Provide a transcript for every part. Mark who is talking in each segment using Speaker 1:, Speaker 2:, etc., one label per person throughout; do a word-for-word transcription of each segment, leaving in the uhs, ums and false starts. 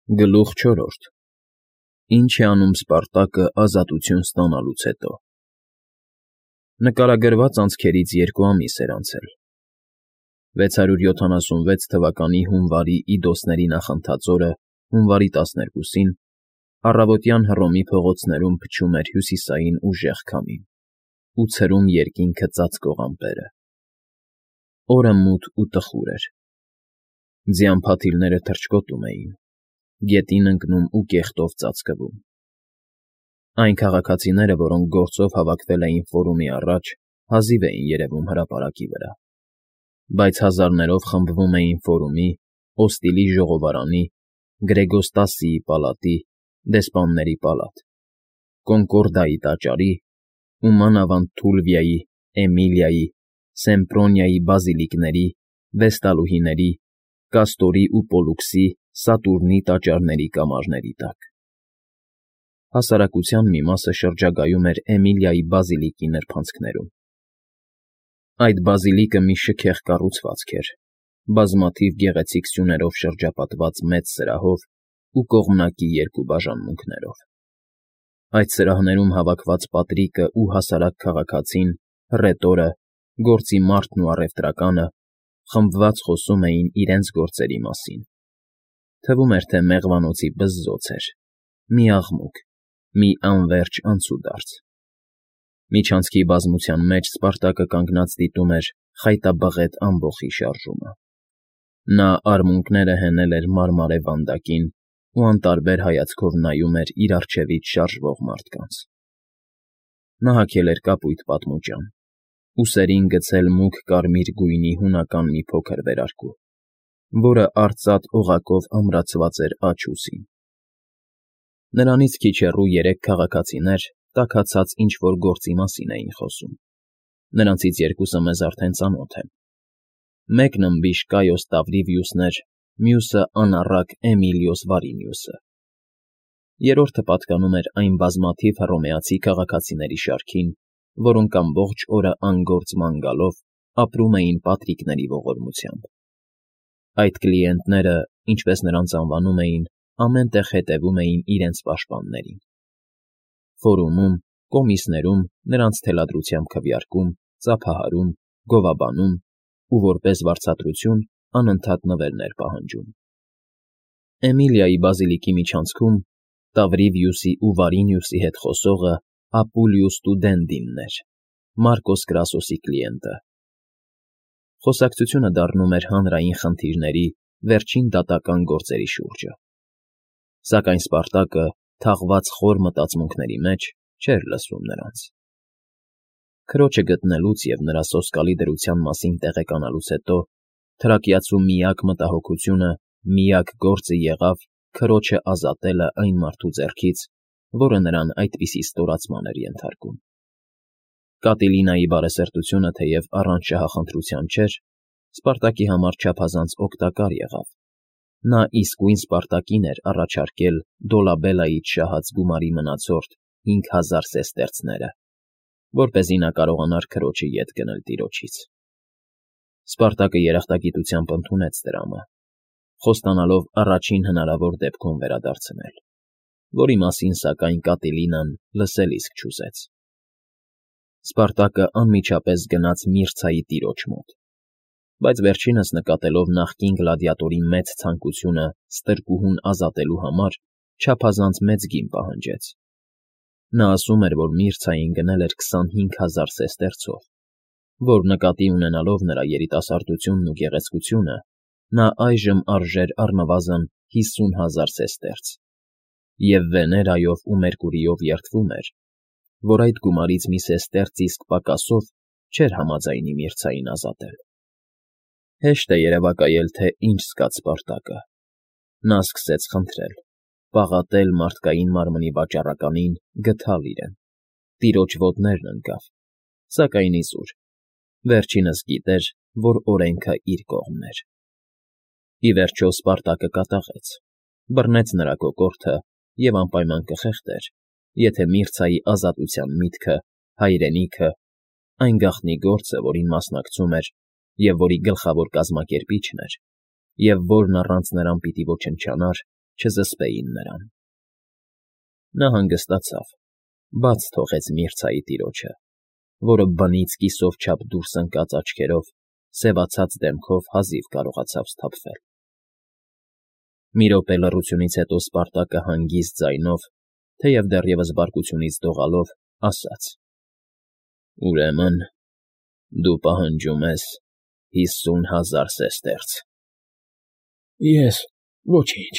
Speaker 1: Գլուխ չորրորդ Ինչ է անում Սպարտակը ազատություն ստանալուց հետո Նկարագրված անցքերից երկու ամիս էր անցել, վեցսարուր յոթանասունվեց թվականի հունվարի իդոսների նախընթաց օրը հունվարի տասներկուսին առավոտյան Հռոմի փողոցներում փչում էր հյուսիսային ուժեղ քամին ու ցրում երկինքը ծածկող ամպերը. օրը մութ ու տխուր էր, ձյան փաթիլները թռչկոտում էին, գետին ընկնում ու կեղտով ծածկվում. այն քաղաքացիները, որոնք գործով հավաքվել էին ֆորումի առաջ, հազիվ էին երևում հրապարակի վրա, բայց հազարներով խմբվում էին ֆորումի, Օստիլի ժողովարանի, Գրեգոստասիի պալատի, դեսպանների պալատ, Կոնկորդիայի տաճարի ու մանավանդ Թուլվիայի, Էմիլիայի, Սեմպրոնիայի բազիլիկների, Վեստալուհիների, Կաստորի ու Պոլուքսի, Սատուրնի տաճարների կամարների տակ. հասարակության մի մասը շրջագայում էր Էմիլիայի բազիլիկի նրբանցքներում. այդ բազիլիկը մի շքեղ կառուցվածք էր, բազմաթիվ գեղեցիկ սյուներով շրջապատված մեծ սրահով ու կողմնակի երկու բաժանմունքներով. այդ սրահներում հավաքված պատրիկը ու հասարակ քաղաքացին, հռետորը, գործի մարդն ու առևտրականը խմբված խոսում էին իրենց գործերի մասին. թվում էր, թե մեղվանոցի բզզոց էր, մի աղմուկ, մի անվերջ անցուդարձ. միջանցքի բազմության մեջ Սպարտակը կանգնած դիտում էր խայտաբղետ ամբոխի շարժումը. նա արմունկները հենել էր մարմարե վանդակին ու անտարբեր հայացքով նայում էր իր առջևից շարժվող մարդկանց. նա հագել էր կապույտ պատմուճան, ուսերին գցել մուգ կարմիր գույնի հունական մի փոքր վերարկու, որը արծաթ օղակով ամրացված էր աջ ուսին. նրանից քիչ հեռու երեք քաղաքացիներ տաքացած ինչ֊որ գործի մասին էին խոսում. նրանցից երկուսը մեզ արդեն ծանոթ են. մեկն ըմբիշ Կայոս Տավրիվիուսն էր, մյուսը անառակ Էմիլիոս Վարինիուսը. երրորդը պատկանում էր այն բազմաթիվ հռոմեացի քաղաքացիների շարքին, որոնք ամբողջ օրը անգործ ման գալով ապրում էին պատրիկների ողորմությամբ. այդ կլիենտները, ինչպես նրանց անվանում էին, ամեն տեղ հետևում էին իրենց պաշտպաններին. ֆորումում, կոմիսներում նրանց թելադրությամբ քվեարկում, ծափահարում, գովաբանում ու որպես վարձատրություն անընդհատ նվերներ պահանջում. Էմիլիայի բազիլիկի միջանցքում Տավրիվիուսի ու Վարինիուսի հետ խոսողը Ապուլիուս Տուդենդինն էր, Մարկոս Կրասոսի կլիենտը. խոսակցությունը դառնում էր հանրային խնդիրների, վերջին դատական գործերի շուրջը. սակայն Սպարտակը, թաղված խոր մտածմունքների մեջ, չէր լսում նրանց. քրոջը գտնելուց և նրա սոսկալի դրության մասին տեղեկանալուց հետո թրակիացու միակ մտահոգությունը, միակ գործը եղավ քրոջը ազատելը այն մարդու ձեռքից, որը նրան այդպիսի ստորացման էր ենթարկում. Կատիլինայի բարեսրտությունը թեև առանց շահախնդրության չէր, Սպարտակի համար չափազանց օգտակար եղավ. նա իսկույն Սպարտակին էր առաջարկել Դոլաբելլայից շահած գումարի մնացորդ հինգ հազար սեստերցները, որպեսզի նա կարողանար քրոջը ետ գնել տիրոջից. Սպարտակը երախտագիտությամբ ընդունեց դրամը, խոստանալով առաջին հնարավոր դեպքում վերադարձնել, որի մասին, սակայն, Կատիլինան լսել իսկ չուզեց. Սպարտակը անմիջապես գնաց Միրցայի տիրոջ մոտ, բայց վերջինս նկատելով նախկին գլադիատորի մեծ ցանկությունը ստրկուհուն ազատելու համար, չափազանց մեծ գին պահանջեց. նա ասում էր, որ Միրցային գնել էր քսանհինգ հազար սեստերցով, որ նկատի ունենալով նրա երիտասարդությունն ու գեղեցկությունը, նա այժմ արժեր առնվազն հիսուն հազար սեստերց, և Վեներայով ու Մերկուրիով երդվում էր, որ այդ գումարից մի սեստերց իսկ պակասով չէր համաձայնի Միրցային ազատել. Հեշտ է երևակայել, թե ինչ զգաց Սպարտակը. նա սկսեց խնդրել, պաղատել մարդկային մարմնի վաճառականին գթալ իրեն, տիրոջ ոտներն ընկավ, սակայն իզուր, վերջինս գիտեր, որ օրենքը իր կողմն էր. ի վերջո Սպարտակը կատաղեց, բռնեց նրա կոկորդը և անպայման կխեղդեր, եթե Միրցայի ազատության միտքը, հայրենիքը, այն գաղտնի գործը, որին մասնակցում էր և որի գլխավոր կազմակերպիչն էր, և որն առանց նրան պիտի ոչնչանար, չզսպեին նրան։ Նա հանգստացավ, բաց թողեց Միրցայի տիրոջը, որը բնից կիսով չափ դուրս ընկած աչքերով, սևացած դեմքով հազիվ կարողացավ սթափվել։ Մի րոպե լռությունից հետո Սպարտակը հանգիստ ձայնով, թեև դեռևս բարկությունից դողալով, ասաց. «Ուրեմն դու պահանջում ես հիսուն հազար սեստերց»։
Speaker 2: Ես ոչինչ,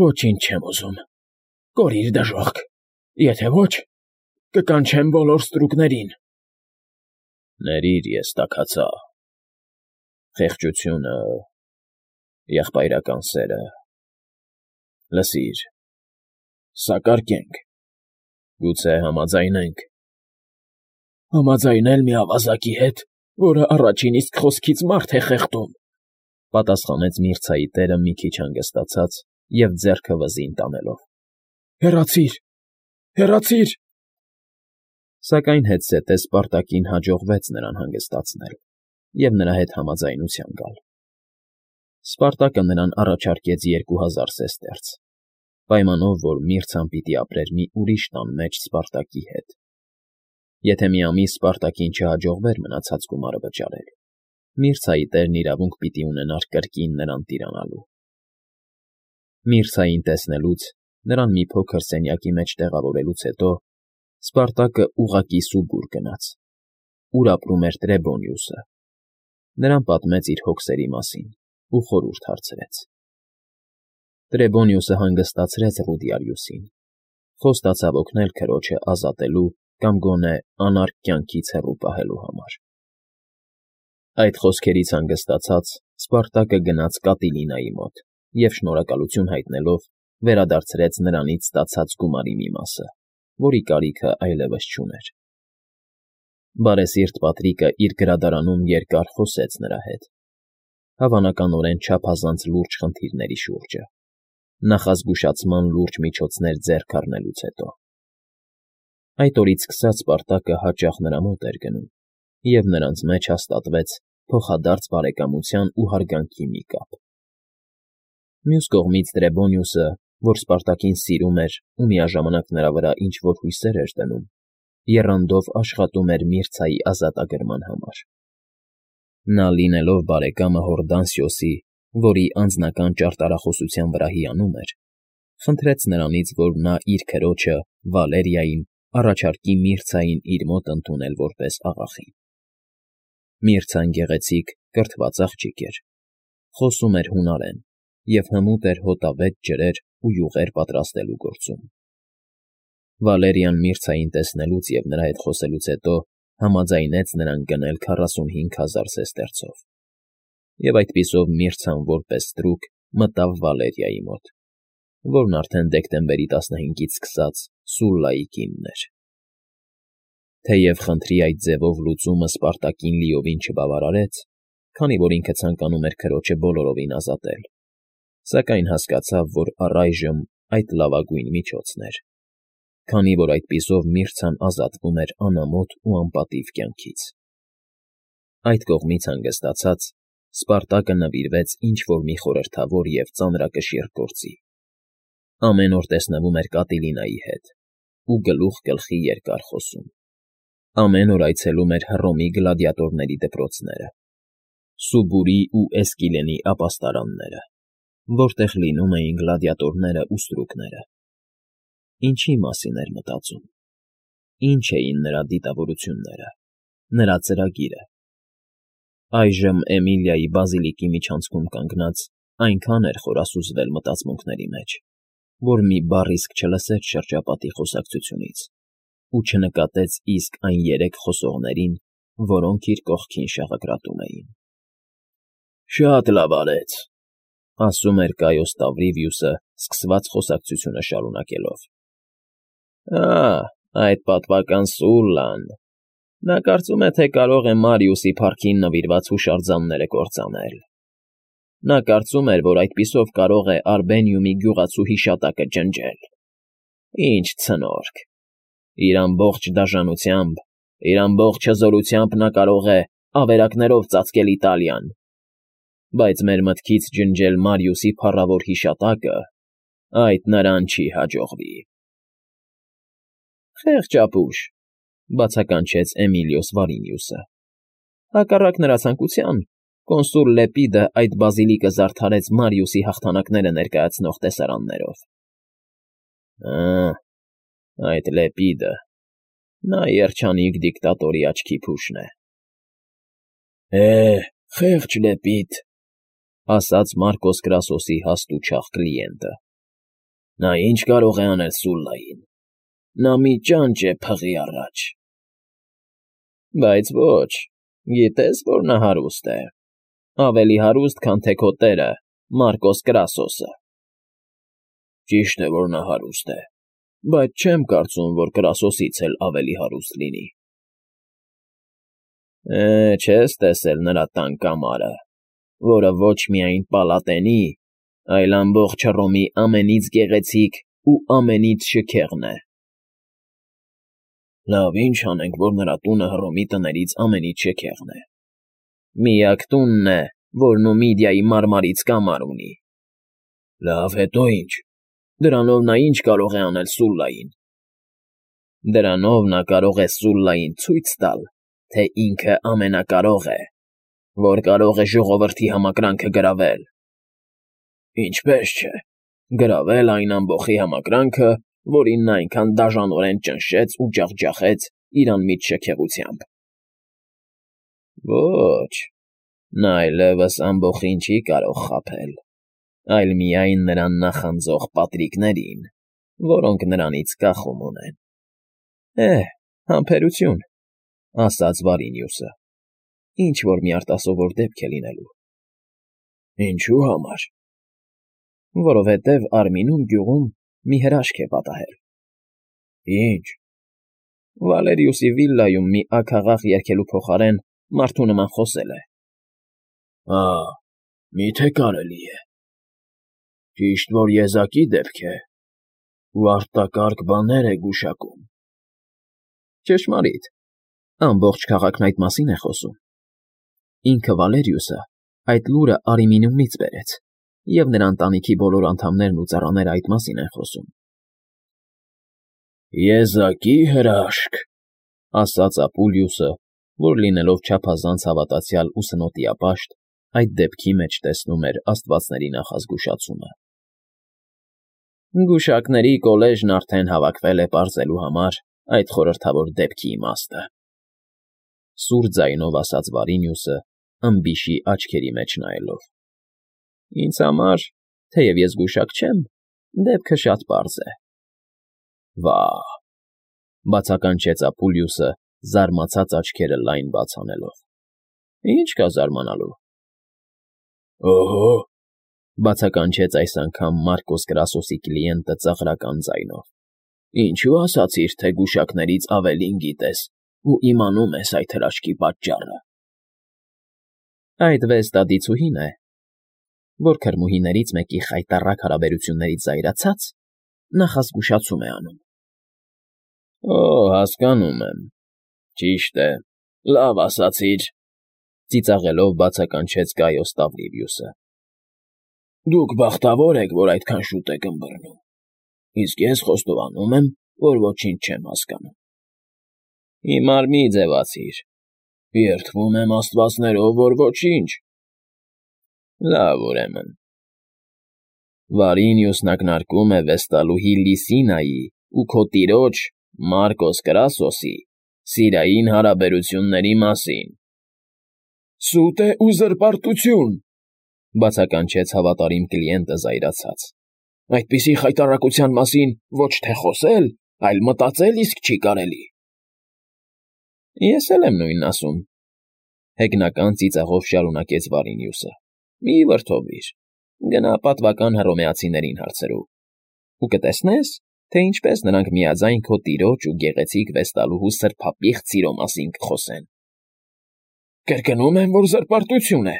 Speaker 2: ոչինչ չեմ ուզում, կորիր դժոխք, եթե ոչ, կկանչեմ բոլոր ստրուկներին։
Speaker 1: Ներիր, ես տաքացա, խեղճությունը, եղբայրական սերը, լսիր,
Speaker 2: սակարկենք,
Speaker 1: գուցե համաձայնենք։
Speaker 2: Համաձայնել մի ավազակի հետ, որը առաջին իսկ խոսքից մարդ է խեղդում,
Speaker 1: պատասխանեց Միրցայի տերը մի քիչ հանգստացած և ձեռքը վզին տանելով։
Speaker 2: Հեռացիր, հեռացիր։
Speaker 1: Սակայն հետզհետե Սպարտակին հաջողվեց նրան հանգստացնել և նրա հետ համաձայնության գալ։ Սպարտակը նրան առաջարկեց երկու հազար սեստերց, պայմանով, որ Միրցան պիտի ապրեր մի ուրիշ տան մեջ Սպարտակի հետ։ Եթե մի ամիս Սպարտակին չհաջողվեր մնացած գումարը վճարել, Միրցայի տերն իրավունք պիտի ունենար կրկին նրան տիրանալու։ Միրցային տեսնելուց, նրան մի փոքր սենյակի մեջ տեղավորելուց հետո Սպարտակը ուղղակի Սուբուր գնաց, ուր ապրում էր Տրեբոնիուսը։ Նրան պատմեց իր հոգսերի մասին ու խորհուրդ հարցրեց։ Տրեբոնիուսը հանգստացրեց Ռուդիալիուսին, խոստացավ օգնել քրոջը ազատելու կամ գոնե անարգ կյանքից հեռու պահելու համար։ Այդ խոսքերից հանգստացած Սպարտակը գնաց Կատիլինայի մոտ և շնորհակալություն հայտնելով վերադարձրեց նրանից ստացած գումարի մի մասը, որի կարիքը այլևս չուներ։ Բարեսիրտ Պատրիկը իր գրադարանում երկար խոսեց նրա հետ, հավանականորեն չափազանց լուրջ խնդիրների շուրջը, նախազգուշացման լուրջ միջոցներ ձեռք առնելուց հետո։ Այդ օրից սկսած Սպարտակը հաճախ նրա մոտ էր գնում, և նրանց մեջ հաստատվեց փոխադարձ բարեկամության ու հարգանքի մի կապ։ Մյուս կողմից Տրեբոնիուսը, որ Սպարտակին սիրում էր ու միաժամանակ նրա վրա ինչ֊որ հույսեր էր դնում, եռանդով աշխատում էր Միրցայի ազատագրման համար։ Նա, լինելով բարեկամը Հորդանսիոսի, որի անձնական ճարտարախոսության վրա հիանում էր, խնդրեց նրանից, որ նա իր քրոջը Վալերիային առաջարկի Միրցային իր մոտ ընդունել որպես աղախին։ Միրցան գեղեցիկ, կրթված աղջիկ էր, խոսում էր հունարեն և հմուտ էր հոտավետ ջրեր ու յուղեր պատրաստելու գործում։ Վալերիան Միրցային տեսնելուց և նրա հետ խոսելուց հետո համաձայնեց նրան գնել քառասունհինգ հազար սեստերցով, և այդպիսով Միրցան որպես ստրուկ մտավ Վալերիայի մոտ, որն արդեն դեկտեմբերի տասնհինգից սկսած Սուլլայի կինն էր։ Թեև խնդրի այդ ձևով լուծումը Սպարտակին լիովին չբավարարեց, քանի որ ինքը ցանկանում էր քրոջը բոլորովին ազատել, սակայն հասկացավ, որ առայժմ այդ լավագույն միջոցն էր, քանի որ այդպիսով Միրցան ազատվում էր անամոթ ու անպատիվ կյանքից։ Այդ կողմից հանգստացած Սպարտակը նվիրվեց ինչ-որ մի խորհրդավոր և ծանրակշիռ գործի։ Ամեն օր տեսնվում էր Կատիլինայի հետ ու գլուխ գլխի երկար խոսում։ Ամեն օր այցելում էր Հռոմի գլադիատորների դպրոցները, Սուբուրի ու Էսկիլենի ապաստարանները, որտեղ լինում էին գլադիատորները ու ստրուկները։ Ինչի մասին էր մտածում, ինչ էին նրա դիտավորությունները, նրա ծրագիրը։ Այժմ Էմիլիայի բազիլիկի միջանցքում կանգնած այնքան էր խորասուզվել մտածմունքների մեջ, որ մի բառ իսկ չլսեց շրջապատի խոսակցությունից ու չնկատեց իսկ այն երեք խոսողներին, որոնք իր կողքին շաղակրատում էին։ «Շատ լավ արեց», ֊ ասում էր Կայոս Տավրիվիուսը, սկսված խոսակցությունը շարունակելով։ «Ա՜, այդ պատվական Սուլլան… Նա կարծում է, թե կարող է Մարիուսի փառքին նվիրված հուշարձանները կործանել։ Նա կարծում էր, որ այդպիսով կարող է Արբենիումի գյուղացու հիշատակը ջնջել։ Ինչ ցնորք… Իր ամբողջ դաժանությամբ, իր ամբողջ հզորությամբ նա կարող է ավերակներով ծածկել Իտալիան, բայց մեր մտքից ջնջել Մարիուսի փառավոր հիշատակը այդ նրան չի հաջողվի։ Խեղճ ապուշ, բացականչեց Էմիլիոս Վարինիուսը։ Հակառակ նրա ցանկության, կոնսուլ Լեպիդը այդ բազիլիկը զարդարեց Մարիուսի հաղթանակները ներկայացնող տեսարաններով։ Ա, այդ Լեպիդը, նա երջանիկ դիկտատորի աչքի փուշն է։ Է, խեղճ Լեպիդ, ասաց Մարկոս Կրասոսի հաստ ու չաղ կլիենտը։ Նա ինչ կարող է անել Սուլլային։ Նա մի ճանճ է փղի առաջ։ Բայց ոչ, գիտես, որ նա հարուստ է, ավելի հարուստ, քան թե քո տերը, Մարկոս Կրասոսը։ Ճիշտ է, որ նա հարուստ է, բայց չեմ կարծում, որ Կրասոսից էլ ավելի հարուստ լինի։ Է, չես տեսել նրա տան կամարը, որը ոչ միայն պալատենի, այլ ամբողջ Հռոմի ամենից գեղեցիկ ու ամենից շքեղն է։ Լավ, ինչ անենք, որ նրա տունը Հռոմի տներից ամենից շքեղն է։ Միակ տունն է, որ Նումիդիայի մարմարից կամար ունի։ Լավ, հետո ինչ։ Դրանով նա ինչ կարող է անել Սուլլային։ Դրանով նա կարող է Սուլլային ցույց տալ, թե ինքը ամենակարող է, որ կարող է ժողովրդի համակրանքը գրավել։ Ինչպես չէ, գրավել այն ամբոխի համակրանքը, որին նա այնքան դաժանորեն ճնշեց ու ջախջախեց իր անմիջ շքեղությամբ։ Ոչ, նա այլևս ամբոխին չի կարող խաբել, այլ միայն նրան նախանձող պատրիկներին, որոնք նրանից կախում ունեն։ Է, համբերություն, ասաց Վարինիուսը, ինչ-որ մի արտասովոր դեպք է լինելու։ Ինչու համար։ Որովհետև Արմինուն գյուղում մի հրաշք է պատահել։ Ինչ։ Վալերիուսի վիլլայում մի աքաղաղ երգելու փոխարեն մարդու նման խոսել է։ Ա, միթե կարելի է։ Ճիշտ որ եզակի դեպք է, ու արտակարգ բաներ է գուշակում։ Ճշմարիտ, ամբողջ քաղաքն այդ մասին է խոսում։ Ինքը Վալերիուսը այդ լուրը Արմինունից բերեց, և նրա ընտանիքի բոլոր անդամներն ու ծառաները այդ մասին են խոսում։ Եզակի հրաշք, ասաց Ապուլիուսը, որ լինելով չափազանց հավատացյալ ու սնոտիապաշտ, այդ դեպքի մեջ տեսնում էր աստվածների նախազգուշացումը։ Գուշակների կոլեժն արդեն հավաքվել է պարզելու համար այդ խորհրդավոր դեպքի իմաստը։ Սուր ձայնով ասաց Վարինիուսը, ըմբիշի աչքերի մեջ նայելով։ Ինձ համար, թեև ես գուշակ չեմ, դեպքը շատ պարզ է։ Վա՜, բացականչեց Ապուլիուսը, զարմացած աչքերը լայն բաց անելով։ Ինչ կա զարմանալու։ Օհո, բացականչեց այս անգամ Մարկոս Կրասոսի կլիենտը ծաղրական ձայնով։ Ինչու ասացիր, թե գուշակներից ավելին գիտես ու իմանում ես այդ հրաշքի պատճառը։ Այդ վեստադիցուհին է, որ քրմուհիներից մեկի խայտառակ հարաբերություններից զայրացած նախազգուշացում է անում։ Օ, հասկանում եմ։ Ճիշտ է, լավ ասացիր, ծիծաղելով բացականչեց Գայոս Տավրիվիուսը։ Դուք բախտավոր եք, որ այդքան շուտ եք ըմբռնում, իսկ ես խոստովանում եմ, որ ոչինչ չեմ հասկանում։ Հիմար մի ձևացիր։ Երդվում եմ աստվածներով, որ ոչինչ։ Լավ, ուրեմն։ Վարինիուսն ակնարկում է վեստալուհի Լիսինայի ու քո տիրոջ Մարկոս Կրասոսի սիրային հարաբերությունների մասին։ Սուտ է ու զրպարտություն, բացականչեց հավատարիմ կլիենտը զայրացած։ Այդպիսի խայտառակության մասին ոչ թե խոսել, այլ մտածել իսկ չի կարելի։ Ես էլ եմ նույնն ասում, հեգնական ծիծաղով շարունակեց Վարինիուսը։ Մի վրդովվիր, գնա պատվական հռոմեացիներին հարցրու, ու կտեսնես, թե ինչպես նրանք միաձայն քո տիրոջ ու գեղեցիկ վեստալուհու սրբապիղծ սիրո մասին կխոսեն։ Կրկնում եմ, որ զրպարտություն է։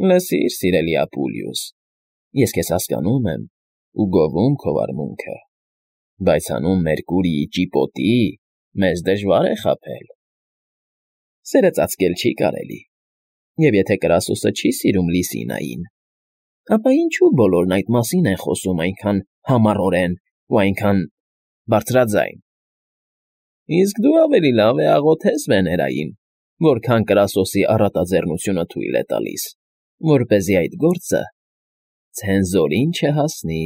Speaker 1: Լսիր, սիրելի Ապուլիուս, ես քեզ հասկանում եմ ու գովում քո վարմունքը, բայց հանուն Մերկուրիի ճիպոտի մեզ դժվար է խաբել։ Սերը ծածկել չի կարելի, և եթե Կրասոսը չի սիրում Լիսինային, Ապա ինչո՞ւ բոլորն այդ մասին են խոսում այնքան համառորեն ու այնքան… բարձրաձայն… Իսկ դու ավելի լավ է աղոթես Վեներային, որքան կրասոսի առատաձեռնությունը թույլ է տալիս, որպեսզի այդ գործը ցենզորին չհասնի։